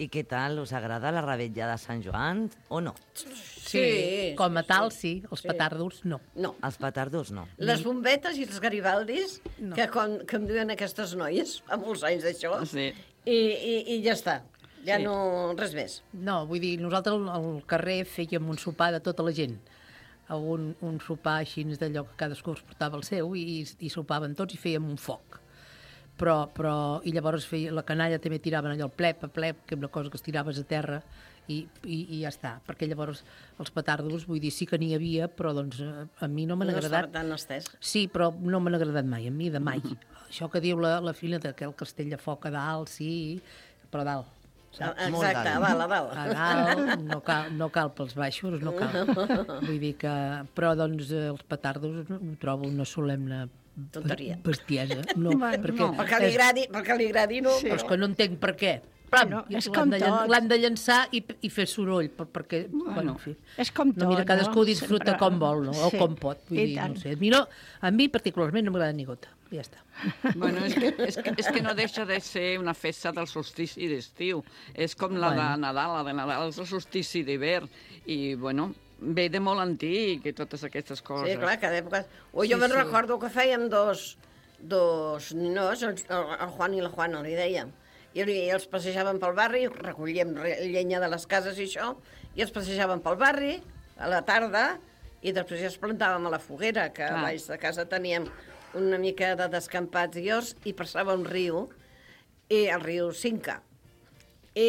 I què tal, us agrada la Revetlla de Sant Joan o no? Sí, com a tal, sí. Els petardos, no. No. Els petardos, no. Les bombetes i els garibaldis, no. que, con, que em diuen aquestes noies, fa molts anys d'això, Sí. i, i, i ja està. Ja Sí. no, res més. No, vull dir, nosaltres al- al carrer fèiem un sopar de tota la gent. Un, un sopar així d'allò que cadascú es portava el seu i, i sopaven tots i fèiem un foc. Però, però, i llavors feia, la canalla també tiraven allò, el plep a plep, que és una cosa que es tiraves a terra, i, i, i ja està. Perquè llavors els petardos, vull dir, sí que n'hi havia, però doncs a, a mi no m'han No agradat. estava tan estès. Sí, però no m'han agradat mai, a mi de mai. Això que diu la, la filla de que el castell de foc a dalt, sí, però a dalt. Saps? Exacte, a dalt, a dalt. A dalt, no cal, no cal pels baixos, no cal. Vull dir que... Però, doncs, eh, els petardos ho trobo una solemne Tonteria. bestiesa. No, Bueno, perquè no. Perquè li agradi, perquè li agradi, no. Sí. Però és que no entenc per què. Bueno, és com L'han de, llan- tot. l'han de llançar i, i fer soroll, per, perquè... Bueno, Bueno, en fi. és com No, mira, tot, cadascú no? disfruta Sempre- com vol, no? O Sí, com pot. Vull i dir, tant. no sé. A mi, no, a mi particularment no m'agrada ni gota. Ja està. Bueno, és que, és, que, és que no deixa de ser una festa del solstici d'estiu. És com la de Bueno. Nadal, la de Nadal és el solstici d'hivern. I, bueno, ve de molt antic i totes aquestes coses. Sí, clar, cada època... O jo Sí, me'n sí. recordo que fèiem dos, dos ninos, el, el Juan i la Juana, li dèiem. I, i els passejàvem pel barri, recollíem re- llenya de les cases i això, i els passejàvem pel barri a la tarda, i després ja els plantàvem a la foguera, que Clar. a baix de casa teníem una mica de descampats i horts, i passava un riu, i el riu Cinca.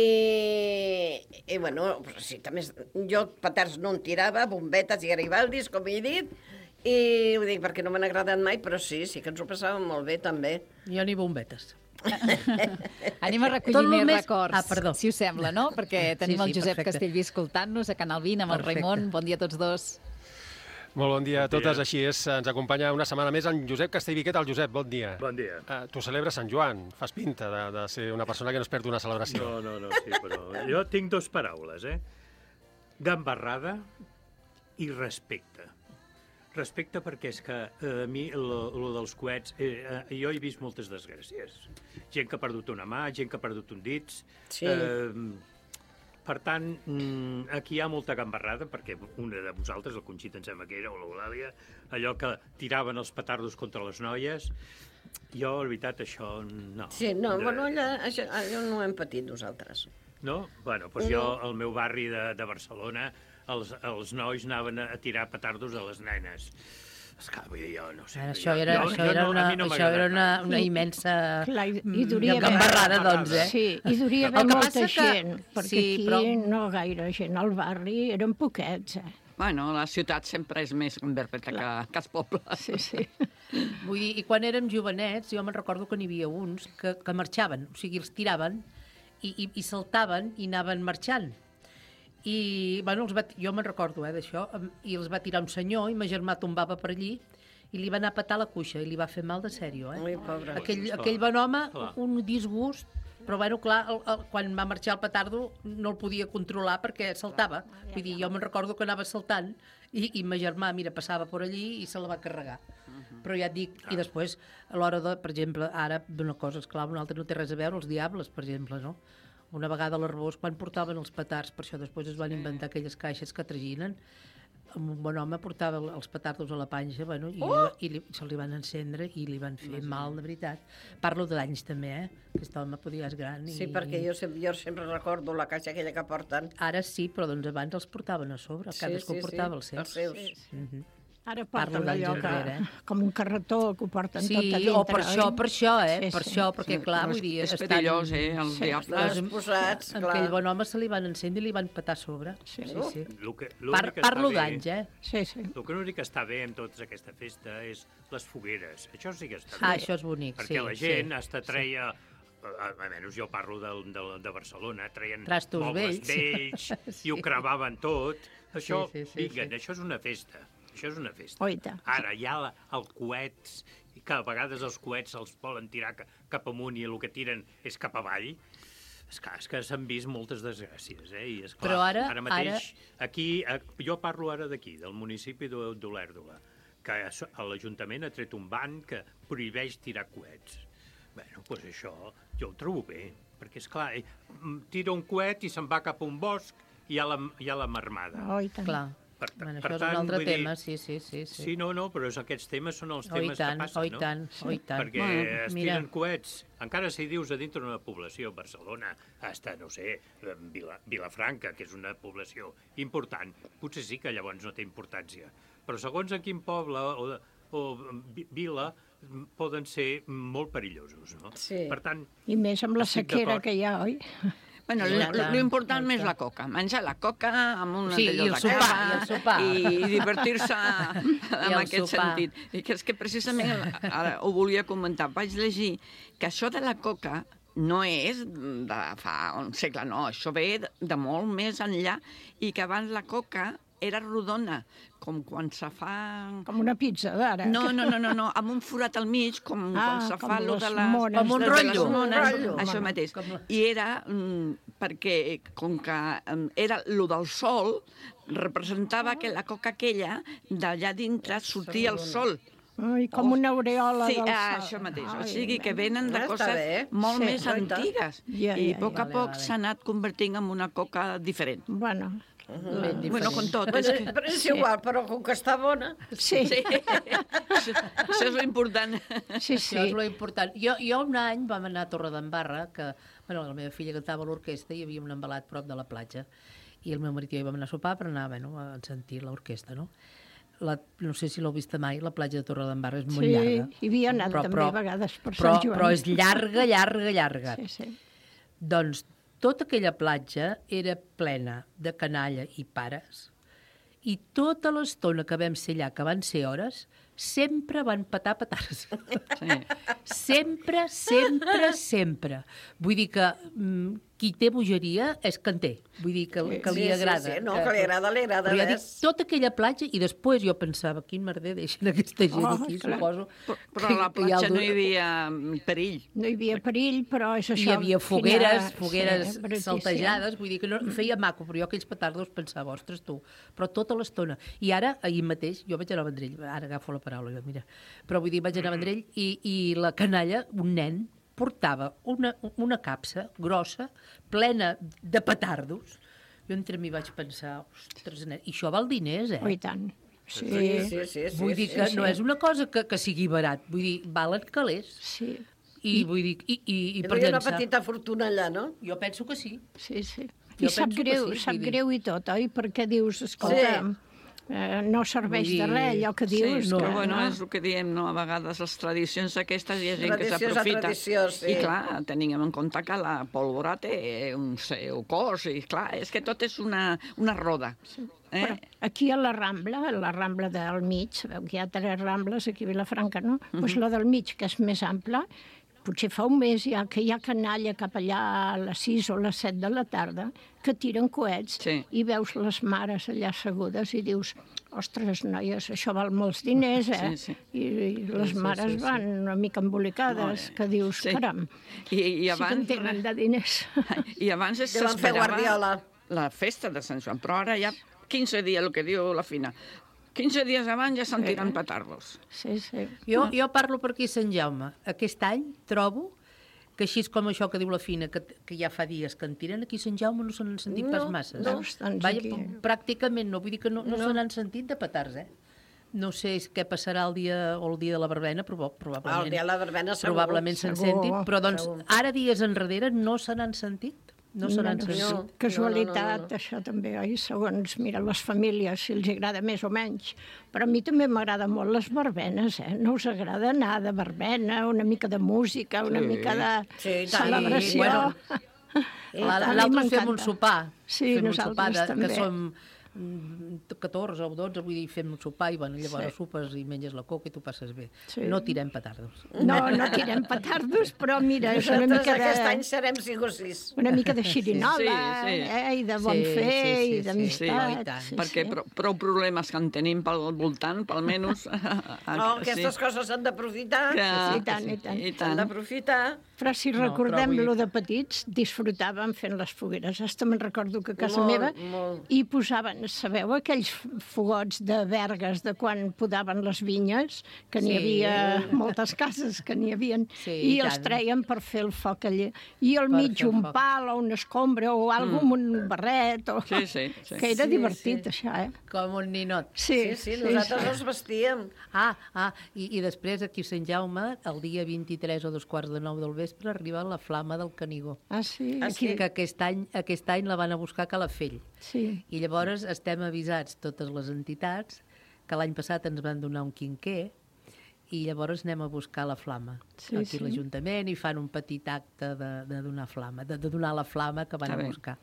I, i bueno, però sí, també, jo petards no en tirava, bombetes i garibaldis, com he dit, i ho dic perquè no m'han agradat mai, però sí, sí que ens ho passàvem molt bé, també. Jo ni bombetes. Anem a recollir Tot lo més més- records, Ah, perdó. si us sembla, no? Perquè tenim Sí, sí, el Josep perfecte. Castellví escoltant-nos a Canal vint amb el Perfecte. Raimon. Bon dia a tots dos. Molt bon dia a Bon dia. totes, així és, ens acompanya una setmana més en Josep Castellví. Què tal, Josep? Bon dia. Bon dia. Uh, tu celebres Sant Joan, fas pinta de, de ser una persona que no es perd una celebració. No, no, no, sí, però jo tinc dos paraules, eh? Gambarrada i respecte. Respecte perquè és que eh, a mi el dels coets, eh, eh, jo he vist moltes desgràcies. Gent que ha perdut una mà, gent que ha perdut un dits. Sí. Eh, per tant, mm, aquí hi ha molta gambarrada, perquè una de vosaltres, el Conxita em sembla que era, o l'Eulàlia, allò que tiraven els petardos contra les noies, jo, la veritat, això no. Sí, no, De- bueno, allò, això, allò no ho hem patit nosaltres. No? Bueno, doncs No. jo, al meu barri de, de Barcelona, els, els nois anaven a tirar petardos a les nenes. Esclar, vull dir, jo no sé. Ara, això era, jo, això jo era, no, una, no això era una, una immensa Clar, i, i duria gambarrada, doncs, eh? Sí, i duria haver molta gent, perquè sí, aquí però... no gaire gent. Al barri eren poquets, eh? Bueno, la ciutat sempre és més gamberreta que, que els pobles. Sí, sí. Vull dir, i quan érem jovenets, jo me'n recordo que n'hi havia uns que, que marxaven, o sigui, els tiraven i, i, i saltaven i anaven marxant. I, bueno, els va, jo me'n recordo, eh, d'això, i els va tirar un senyor i ma germà tombava per allí i li va anar a petar la cuixa i li va fer mal de sèrio, eh? Ui, pobre. Aquell, aquell bon home, un disgust, però, bueno, clar, el, el, quan va marxar el petardo no el podia controlar perquè saltava. Vull dir, jo me'n recordo que anava saltant i, i ma germà, mira, passava per allí i se la va carregar. Però ja et dic, i després, a l'hora de, per exemple, ara, una cosa, esclar, una altra no té res a veure, els diables, per exemple, no? Una vegada a l'Arbós, quan portaven els petards, per això després es van inventar aquelles caixes que traginen, un bon home portava els petardos a la panxa, bueno, i, oh! i li, se li van encendre i li van fer mal, de veritat. Parlo d'anys també, eh? Aquest home podia ser gran. I... Sí, perquè jo sempre, jo sempre recordo la caixa aquella que porten. Ara sí, però doncs abans els portaven a sobre, cadascú sí, sí, portava els seus. Els seus. Mm -hmm. Ara porten allò que, enrere, eh? com un carretó que ho porten sí, tot a dintre. o per això, per això, eh? Sí, per sí. això, perquè Sí, clar, no, vull dir... és perillós, eh, els diables. Amb, Posats, amb clar. aquell bon home se li van encendre i li van petar a sobre. Sí, sí, sí. Lo que, Par, parlo d'anys, eh? Sí, sí. El que l'únic que està bé en tota aquesta festa és les fogueres. Això sí que està bé. Ah, això és bonic, perquè sí. la gent sí, hasta treia... Sí. Almenys jo parlo de, de, de Barcelona, treien Trastos mobles vells. vells i ho cremaven tot. Això, sí, sí, vinga, sí. això és una festa. Això és una festa. Oita. Ara, hi ha la, el coets, que a vegades els coets els volen tirar cap amunt i el que tiren és cap avall. És clar, és que s'han vist moltes desgràcies, eh? I és clar, Però ara, ara mateix, ara... aquí, jo parlo ara d'aquí, del municipi d'Olèrdola, que l'Ajuntament ha tret un ban que prohibeix tirar coets. Bé, doncs això jo ho trobo bé, perquè, és clar, tira un coet i se'n va cap a un bosc i hi ha la, hi ha la marmada. Oh, i tant. Clar. Per, Bueno, per això és tant, un altre vull dir, tema, sí, sí, sí, sí. Sí, no, no, però és, aquests temes són els Oh, i temes tant, que passen, oh, i no? tant, oh, i tant. Perquè Bueno, es mira. tiren coets, encara si dius a dintre d'una població, Barcelona, hasta, no sé, Vila, Vilafranca, que és una població important, potser sí que llavors no té importància. Però segons a quin poble o, o vila poden ser molt perillosos, no? Sí. Per tant... I més amb la estic sequera d'acord. que hi ha, oi? Bueno, l'important és la coca. Menjar la coca amb un Sí, i el sopar, i el sopar. i divertir-se en el aquest sopar. sentit. I que és que precisament, ara ho volia comentar, vaig llegir que això de la coca no és de fa un segle, no, això ve de, de molt més enllà i que abans la coca era rodona, com quan se fa... Com una pizza d'ara. No, no, no, no, no, amb un forat al mig, com Ah, quan se com fa lo les de les... mones. Com un de les rotllo. mones, Un rotllo. això mateix. I era mm, perquè, com que mm, era lo del sol, representava que la coca aquella, d'allà dintre, sortia el sol. Ai, com una aureola Sí, del ah, sol. això mateix. Ai, O sigui que venen de Està coses bé. molt Sí, més oi tant. antigues. Ja, I ja, a poc a vale, poc vale. s'ha anat convertint en una coca diferent. Bueno, Ben Bueno, diferent. con tot. Però, És que... però és igual, però com que està bona... sí, Sí. això, això és l'important. sí, Sí. Això és sí. lo important. Jo, jo un any vam anar a Torredembarra, que bueno, la meva filla cantava a l'orquestra i hi havia un embalat prop de la platja. I el meu marit i jo hi vam anar a sopar per anar bueno, a sentir l'orquestra, no? La, no sé si l'heu vist mai, la platja de Torredembarra és molt Sí, llarga. hi havia anat Però- també però- a vegades per Però, Sant Joan. però és llarga, llarga, llarga. Sí, sí. Doncs tota aquella platja era plena de canalla i pares i tota l'estona que vam ser allà, que van ser hores, sempre van petar petards. Sí. Sempre, sempre, sempre. Vull dir que mm, qui té bogeria és que en té. Vull dir que, que li Sí, sí, agrada. sí, no, que li agrada, li agrada, Però ja dic, ves. tota aquella platja, i després jo pensava, quin merder deixen aquesta gent Oh, aquí, clar. suposo. Però, però a la que hi ha platja el no dur- hi havia perill. No hi havia perill, però és això... Hi havia fogueres, quina- fogueres sí, brutícia. saltejades, vull dir que no, feia maco, però jo aquells petardos pensava, ostres tu, però tota l'estona. I ara, ahir mateix, jo vaig anar a Vendrell, ara agafo la paraula, jo, mira, però vull dir, vaig anar a Vendrell i, i la canalla, un nen, portava una, una capsa grossa, plena de petardos. Jo entre mi vaig pensar, ostres, nen, i això val diners, eh? Oh, i tant. Sí, Sí, sí, sí. sí Vull dir sí, que sí. no és una cosa que, que sigui barat, vull dir, valen calés. sí. I, vull dir, i, i, i Hi per havia una llançar... petita fortuna allà, no? Jo penso que sí. Sí, sí. I sap greu, sap greu i tot, oi? Perquè dius, escolta, eh, no serveix de res, allò que dius. Sí, que, però bueno, no? és el que diem, no? A vegades les tradicions aquestes hi ha gent que Tradicions a s'aprofita. tradició, sí. I clar, tenim en compte que la pólvora té un seu cos, i clar, és que tot és una, una roda. Eh? Però aquí a la Rambla, a la Rambla del mig, sabeu que hi ha tres Rambles aquí a Vilafranca, no? Doncs uh -huh. la del mig, que és més ampla, potser fa un mes ja que hi ha canalla cap allà a les sis o les set de la tarda que tiren coets sí. i veus les mares allà assegudes i dius, ostres, noies, això val molts diners, eh? Sí, sí. I, I les sí, mares sí, sí, van una mica embolicades, no, que dius, sí. caram, I, i abans, sí que en tenen de diners. I abans s'esperava la festa de Sant Joan, però ara ja quinze dies, el que diu la Fina, quinze dies abans ja se'n tiren sí. petardos. Sí, sí. Jo, jo parlo per aquí a Sant Jaume. Aquest any trobo que així com això que diu la Fina, que, que ja fa dies que en tiren, aquí a Sant Jaume no se n'han sentit no, pas masses. No, eh? Vaja, pràcticament no, vull dir que no, no, no. se n'han sentit de petards, eh? No sé què passarà el dia o el dia de la verbena, però probablement... El dia de la verbena segur. Probablement se'n sentin, però doncs segur. Ara dies enrere no se n'han sentit. No se n'han sentit. No, casualitat, no, no, no. Això també, oi? Segons, mira, les famílies, si els agrada més o menys. Però a mi també m'agrada molt les verbenes, eh? No us agrada anar de verbena, una mica de música, una sí. mica de sí, celebració? Sí, bueno, l'altre fem un sopar. Sí, fem nosaltres un sopar de, també. Que som catorze o dotze, vull dir, fem un sopar i bueno, llavors sí. sopes i menges la coca i tu passes bé. Sí. No tirem petardos. No, no tirem petardos, però mira, és una mica de... aquest any serem cinc o sis. Una mica de xirinola, sí, sí. Eh, i de bon sí, fer, sí, sí, i d'amistat. Sí, sí, perquè prou, prou problemes que en tenim pel voltant, pel menys... No, aquestes sí. coses s'han d'aprofitar. I tant, i tant. S'han d'aprofitar. Però si recordem no, lo de petits, disfrutàvem fent les fogueres. Hasta me'n recordo que a casa molt, meva molt. Hi posaven, sabeu, aquells fogots de vergues de quan podaven les vinyes, que n'hi sí. havia moltes cases que n'hi havia, sí, i, i els treien per fer el foc allà. I al per mig un pal o una escombra o alguna mm. amb un barret. O... Sí, sí, sí. Que era sí, divertit, sí. això, eh? Com un ninot. Sí, sí, sí nosaltres sí. els vestíem. Ah, ah i, i després aquí a Sant Jaume, el dia vint-i-tres o dos quarts de nou del vespre, arriba la flama del Canigó. Ah, sí? Aquí, que aquest any, aquest any la van a buscar a Calafell. Sí. I llavors estem avisats, totes les entitats, que l'any passat ens van donar un quinquer i llavors anem a buscar la flama. Sí, aquí sí. l'Ajuntament i fan un petit acte de, de donar flama, de, de donar la flama que van a buscar.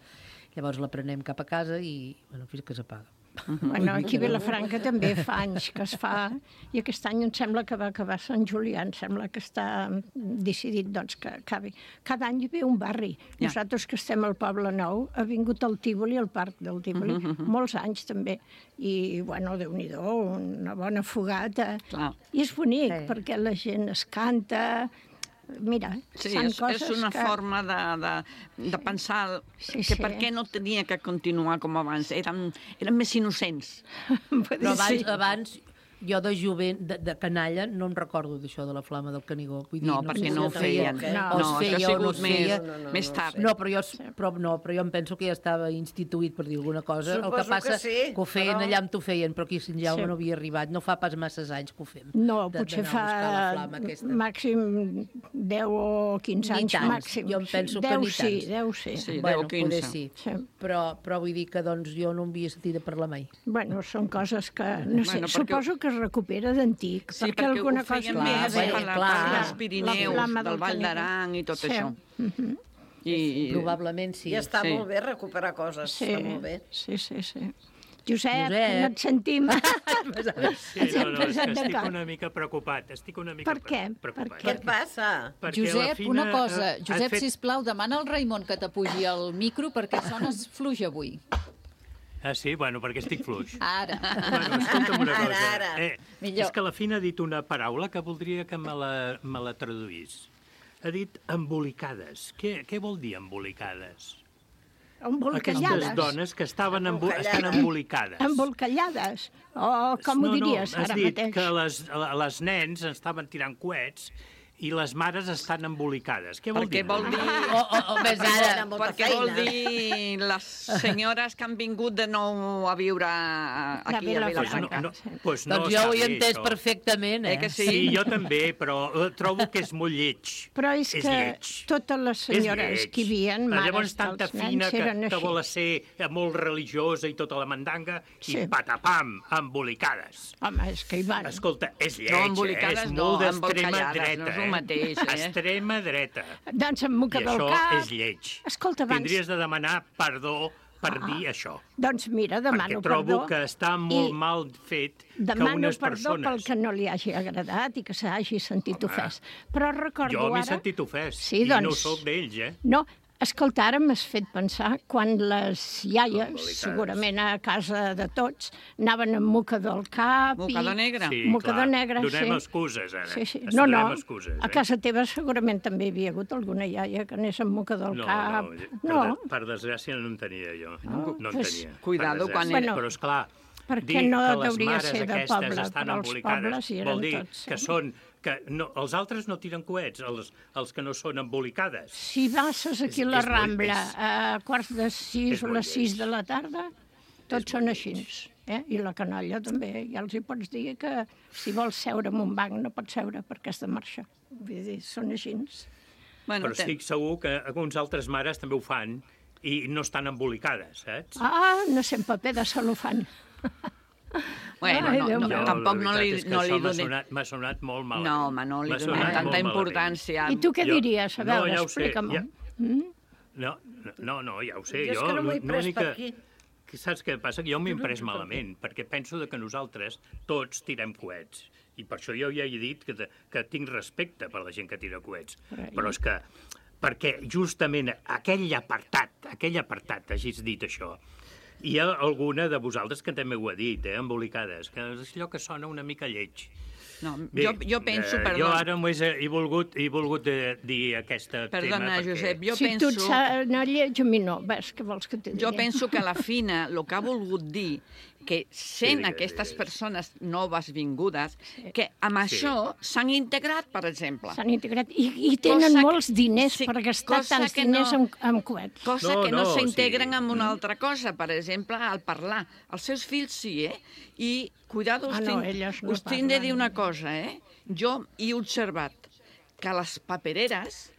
Llavors la prenem cap a casa i bueno, fins que s'apaga. Bueno, aquí a Vilafranca també fa anys que es fa, i aquest any em sembla que va acabar Sant Julià, em sembla que està decidit doncs, que acabi. Cada any hi ve un barri. Ja. Nosaltres que estem al Poble Nou, ha vingut el Tívoli, el Parc del Tívoli, uh -huh. molts anys també. I, bueno, Déu-n'hi-do, una bona fogata. Clar. I és bonic, sí. perquè la gent es canta... Mira, sí, són és, coses és una que... forma de, de, de pensar sí, que sí. per què no tenia que continuar com abans. Érem, érem més innocents. Però abans, abans jo de jovent, de, de canalla, no em recordo d'això de la flama del Canigó. Vull dir, no, no, perquè no ho feien. No, no, no feia, això ha sigut no feia. més, no, no, més tard. No, però jo, però, no, però jo em penso que ja estava instituït, per dir alguna cosa. Suposo el que passa que, sí, que ho feien però... allà on t'ho feien, però aquí a Sant Jaume sí. no havia arribat. No fa pas masses anys que ho fem. No, de, potser fa màxim deu o quinze anys. Tants. Màxim. Jo em penso deu que ni sí, tants. deu sí. sí bueno, deu, quinze. Sí. sí. Però, però vull dir que doncs, jo no en havia sentit a parlar mai. Bueno, són coses que, no sé, bueno, suposo que es recupera d'antic. Sí, perquè, perquè alguna ho feien cosa... més Clar, a la clar. part dels Pirineus, del, del Vall d'Aran i tot sí. això. Uh-huh. I, i... Probablement sí. I està sí. molt bé recuperar coses, sí. està molt bé. Sí, sí, sí. Josep, Josep. no et sentim. Sí, no, no, és que estic una mica preocupat. Estic una mica per què? preocupat. Què et passa? Perquè Josep, Fina, una cosa. uh, Josep, fet... sisplau, demana al Raimon que t'apugi el micro perquè sones fluix avui. Ah, sí? Bueno, perquè estic fluix. Ara. Bueno, escolta'm una cosa. Ara, ara. Eh, és que la Fina ha dit una paraula que voldria que me la, me la traduís. Ha dit embolicades. Què, què vol dir embolicades? Embolcallades. Aquestes dones que estaven embo estan embolicades. Embolcallades? O com no, ho diries no, ara mateix? No, has dit mateix? que les, les nens estaven tirant coets i les mares estan embolicades. Què vol Perquè dir? vol dir... O, o, o més ara, perquè vol dir les senyores que han vingut de nou a viure aquí a Vilafranca. No, no, pues no doncs jo ho he està bé, entès això. perfectament, eh? Eh que sí? Sí, jo també, però trobo que és molt lleig. Però és, és que lleig. totes les senyores que hi havia, mares Llavors tanta dels fina nens, que, eren que així. vol ser molt religiosa i tota la mandanga, i Sí. patapam, embolicades. Home, és que hi van. Escolta, és lleig, No, eh? embolicades És no, molt d'extrema embolcallades, dreta. no és el mateix, eh? Extrema dreta. Doncs amb moca I del això cap. és lleig. Escolta, abans... Tindries de demanar perdó per Ah. dir això. Doncs mira, demano Perquè trobo perdó. que està molt i mal fet que Demano unes perdó persones... pel que no li hagi agradat i que s'hagi sentit ofès. Però recordo Jo m'he ara... sentit ofès, Sí, i no doncs- sóc d'ells, eh? No, escolta, ara m'has fet pensar quan les iaies, Embolicades. segurament a casa de tots, anaven amb mocador al cap... Mocador negre. Sí, Mocador clar. negre, Donem sí. excuses, ara. Sí, sí. Es No, no, donem excuses, a eh? casa teva segurament també hi havia hagut alguna iaia que anés amb mocador al No, cap. no, per, No, de, per desgràcia no en tenia jo. No, No en pues, tenia. cuidado per quan desgràcia. era- Però, esclar, perquè dir no que les deuria mares ser de aquestes poble, estan però els embolicades pobles hi eren vol dir tots, que sí. són... Que no, els altres no tiren coets, els, els que no són embolicades. si passes aquí És- a la és molt- Rambla és- a quarts de sis és o molt les sis de la tarda, tots són així. Eh? I la canalla també. Ja els hi pots dir que si vols seure en un banc no pots seure perquè has de marxar. Vull dir, són així. Bueno, Però estic segur que alguns altres mares també ho fan i no estan embolicades, saps? Ah, no sé, en paper de cel·lofan. Bueno, Ai, no, Déu no, meu. tampoc no li, La veritat és que no li això m'ha donem... sonat, m'ha sonat molt malament. No, home, no li M'ha donem sonat tanta molt malament. importància. I tu què Jo- diries? A no, veure, ja ho sé, explica'm-ho. ja- Mm? No, no, no, ja ho sé. Jo és que no m'ho he pres l'únic per que- aquí. que saps què passa? Que jo m'he imprès malament, perquè penso de que nosaltres tots tirem coets. I per això jo ja he dit que, de, que tinc respecte per la gent que tira coets. Però- Però és que, perquè justament aquell apartat, aquell apartat, hagis dit això, hi ha alguna de vosaltres que també ho ha dit, eh, embolicades, que és allò que sona una mica lleig. No, Bé, jo, jo penso, eh, perdó, Jo ara només he, he volgut, he volgut eh, dir aquesta Perdona, tema perquè... Josep, jo si tu penso... ets eh, no lleig, a mi no. Ves, què vols que t'hi digui? Jo penso que la Fina el que ha volgut dir que sent digues, aquestes digues. persones noves vingudes, que amb Sí. això s'han integrat, per exemple. S'han integrat i, i tenen Cosa que- molts diners sí, per gastar cosa tants que diners no- en, en coets. Cosa No, que no no, s'integren sí. amb una altra cosa, per exemple, al parlar. Els seus fills sí, eh? I, cuidado, us, Ah, no, tinc, elles no us tinc de parlen. dir una cosa, eh? Jo he observat que les papereres,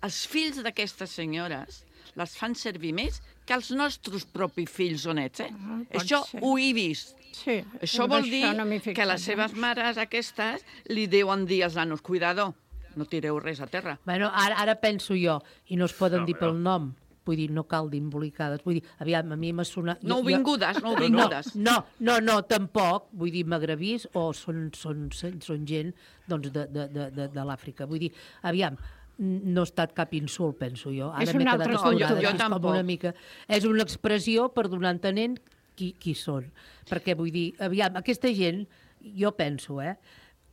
els fills d'aquestes senyores, les fan servir més que els nostres propis fills o nets, eh? Ah, pot Això ser. ho he vist. Sí, Això amb vol dir no m'hi he que fixat, les seves mares aquestes li deuen dir als nanos, cuidado, no tireu res a terra. Bueno, ara, ara penso jo, i no es poden No, dir no. pel nom, vull dir, no cal dir embolicades, vull dir, aviam, a mi m'ha sonat... No vingudes, no no, vingudes. no, no, no, tampoc, vull dir, magrebís o són, són, són gent doncs, de, de, de, de, de l'Àfrica. Vull dir, aviam, no ha estat cap insult, penso jo. Ara És m'he una quedat altra escoltada, cultura. Jo és com tampoc. una mica... És una expressió per donar a entenent qui, qui són. Perquè, vull dir, aviam, aquesta gent, jo penso, eh,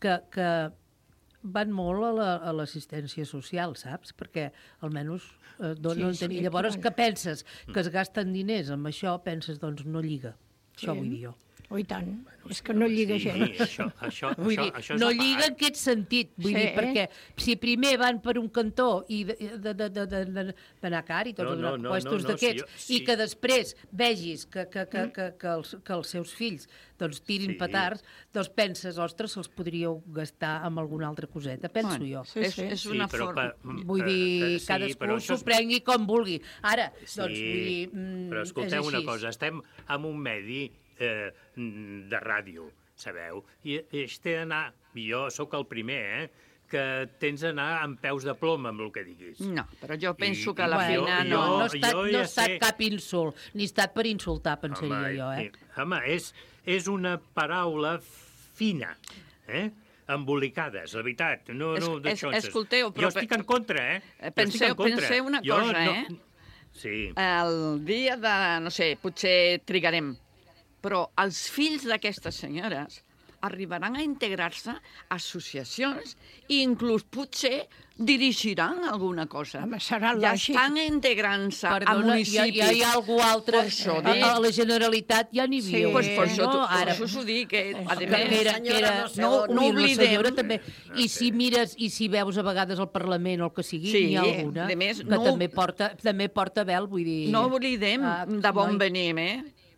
que, que van molt a la- a l'assistència social, saps? Perquè almenys eh, donen... Sí, sí, I llavors, aquí que penses? Que es gasten diners amb això, penses, doncs no lliga. Això Sí. vull dir jo. Oh, i tant. És que no lliga Sí, gens. això, això, Vull això, dir, això és no a part. lliga en aquest sentit, vull Sí. dir, perquè si primer van per un cantó i de- de- de- de- de- de- d'anar car i tots No, els no, no, puestos no, no, d'aquests, sí, sí. i que després vegis que, que, que, que, que, els, que els seus fills doncs, tirin Sí. petards, doncs penses, ostres, se'ls podríeu gastar amb alguna altra coseta, penso Bueno, jo. Sí, és, sí. és Sí, una però forma... pa- Vull eh, dir, eh, sí, cadascú però això s'ho és- prengui com vulgui. Ara, Sí, doncs, vull dir, mm, però escolteu és una així. cosa, estem en un medi eh, de ràdio, sabeu? I és té d'anar, i jo sóc el primer, eh, que tens d'anar amb peus de plom amb el que diguis. No, però jo penso I- que la i jo- Fina jo- no... No ha estat, jo no ja ha estat sé- cap insult, ni ha estat per insultar, pensaria Home, jo, eh? i- Home, és, és una paraula fina, eh? Embolicades, la veritat. No, Es- no, es- d'això. escolteu, però- Jo estic en contra, eh? Jo Penseu- estic en contra. penseu una Jo cosa, no- eh? Sí. El dia de... no sé, potser trigarem, però els fills d'aquestes senyores arribaran a integrar-se associacions i inclús potser dirigiran alguna cosa. Home, serà ja lògic. estan integrant-se a Perdona, municipis. Ja, ja hi ha algú altre. Això A, a la Generalitat ja n'hi havia. Sí, pues per això, no? per Ara, això us ho dic, que, a que més, era, que era, no, no ui, la oblidem. senyora també. I si mires, i si veus a vegades al Parlament o el que sigui, Sí, n'hi ha alguna de més, que no- també porta, també porta vel, vull dir... No oblidem Ah, de bon no hi- venim, eh?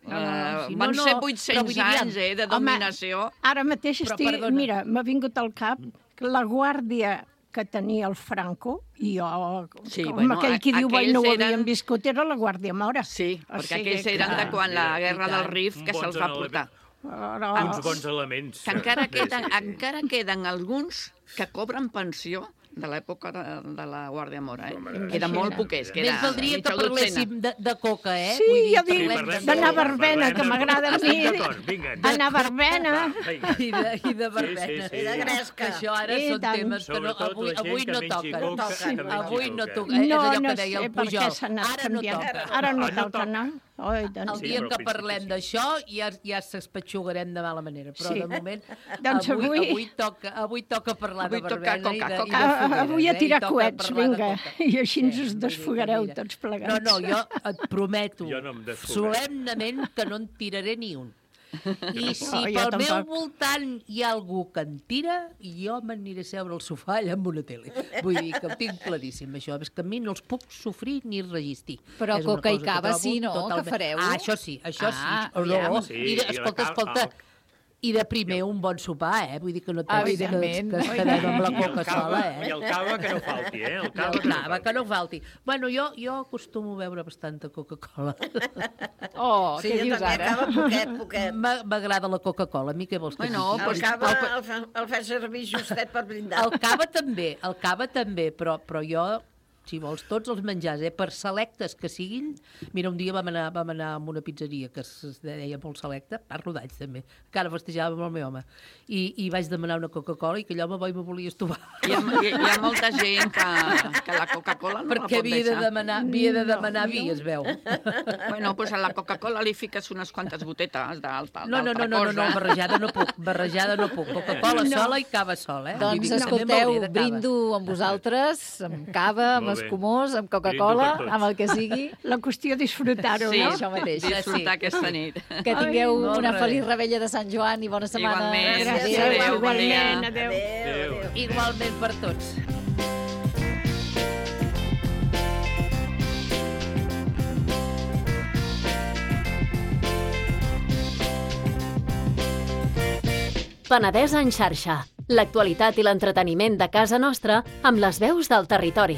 No, no, no, sí, Uh, van no, no, ser però vuit-cents vull dir, anys eh, de dominació. Home, ara mateix Però, estic... perdona. Mira, m'ha vingut al cap la guàrdia que tenia el Franco, i jo, Sí, com bueno, aquell qui diu, aquells no ho eren- havíem viscut, era la Guàrdia Mora. Sí, O perquè sigui aquells que- eren de quan la guerra del Rif que Bons se'ls va elements. portar. Però... Uns bons elements. Que encara queden, encara queden alguns que cobren pensió de l'època de, de la Guàrdia Mora, eh? Queden molt poquets, queda Més valdria que mitja dotzena. parléssim de, de coca, eh? Sí, Vull dir, ja dic, parlem d'anar a verbena, que m'agrada a mi. Estic d'acord, vinga. Anar a verbena. I de, i de verbena. Sí, sí, sí. I de gresca. Això ara I són tant. temes que no, Sobretot avui, la gent avui que no mengi toquen. coca, que mengi Avui no coca. toca. És No, allò no que deia sé el per Pujol. què s'ha anat Ara no canviant. toca. Ara no Ah, no toca, no? Oi, El doncs... dia però que fins parlem d'això ja, ja s'espatxugarem de mala manera, però Sí. de moment Doncs avui, avui- avui, toca, avui toca parlar Avui de toca verbena i coca, de, coca. i de Ah, fogueres, avui a eh? tirar I toca coets, parlar de vinga. coca. I així ens Sí, us vull dir que desfogareu mira. tots plegats. No, no, jo et prometo Jo no em desfogaré. solemnament que no en tiraré ni un. I si No, jo pel meu tampoc. voltant hi ha algú que en tira, jo m'aniré a seure al sofà allà amb una tele. Vull dir que ho tinc claríssim, això. És que a mi no els puc sofrir ni resistir. Però És una coca i cosa que cava trobo sí, no? totalment- Que fareu? Ah, això sí, això Ah, sí. aviam. No, Sí, I de, i la escolta, cal- escolta, el- i de primer un bon sopar, eh? Vull dir que no et pensis que, Evidentment. que es quedem amb la I el coca cava- sola, eh? I el cava que no falti, eh? El I cava el que no cava, falti. que no falti. Bueno, jo, jo acostumo a beure bastanta Coca-Cola. Oh, Sí, què jo dius també ara? acaba poquet, poquet. M'a- M'agrada la Coca-Cola. A mi què vols que Bueno, digui? El pues, cava el- el, fa, el fa servir justet per brindar. El cava també, el cava també, però, però jo, si vols, tots els menjars, eh, per selectes que siguin... Mira, un dia vam anar, vam anar a una pizzeria que es es deia molt selecta, parlo d'alls també, encara festejava amb el meu home, i, i vaig demanar una Coca-Cola i que allò me va i me volia estovar. Hi ha, hi, hi ha molta gent que, que la Coca-Cola no Perquè la pot havia de deixar. demanar, havia de demanar vi, es veu. Bueno, pues a la Coca-Cola li fiques unes quantes gotetes d'alta No, no, no, d'altra no, no, no, cosa. barrejada no puc, barrejada no puc. Coca-Cola No. sola i cava sola, eh? Vull Doncs dir que també escolteu, m'hauré de cava. brindo amb vosaltres, amb cava, amb Molt bé. escumós, amb Brindo Coca-Cola, per tots. amb el que sigui. La qüestió és disfrutar-ho, Sí, no? Això mateix. disfrutar aquesta nit. Que tingueu Ai, molt una bé. feliç rebella de Sant Joan i bona setmana. Igualment. Gràcies, Adéu, bon dia. igualment, adéu. Adéu. Igualment per tots. Penedès en xarxa. L'actualitat i l'entreteniment de casa nostra amb les veus del territori.